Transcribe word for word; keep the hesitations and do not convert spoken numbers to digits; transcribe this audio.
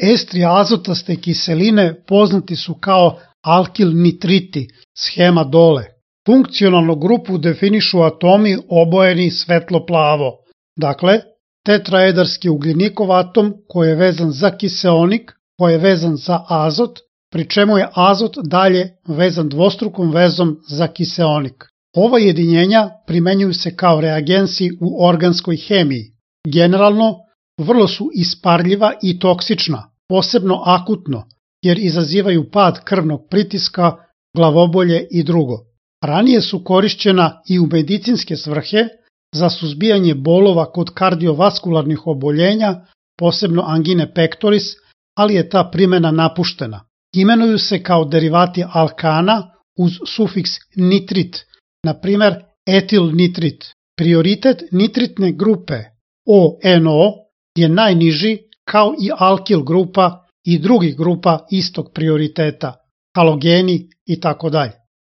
Estri azotaste kiseline poznati su kao alkil nitriti, schema dole. Funkcionalnu grupu definišu atomi obojeni svetlo-plavo. Dakle, tetraedarski ugljenikov atom koji je vezan za kiseonik, koji je vezan za azot, pri čemu je azot dalje vezan dvostrukom vezom za kiseonik. Ova jedinjenja primenjuju se kao reagensi u organskoj hemiji. Generalno, vrlo su isparljiva i toksična, posebno akutno, jer izazivaju pad krvnog pritiska, glavobolje i drugo. Ranije su korišćena i u medicinske svrhe za suzbijanje bolova kod kardiovaskularnih oboljenja, posebno angine pectoris, ali je ta primjena napuštena. Imenuju se kao derivati alkana uz sufiks nitrit, na primer etil nitrit. Prioritet nitritne grupe O N O je najniži kao i alkil grupa i drugih grupa istog prioriteta, halogeni itd.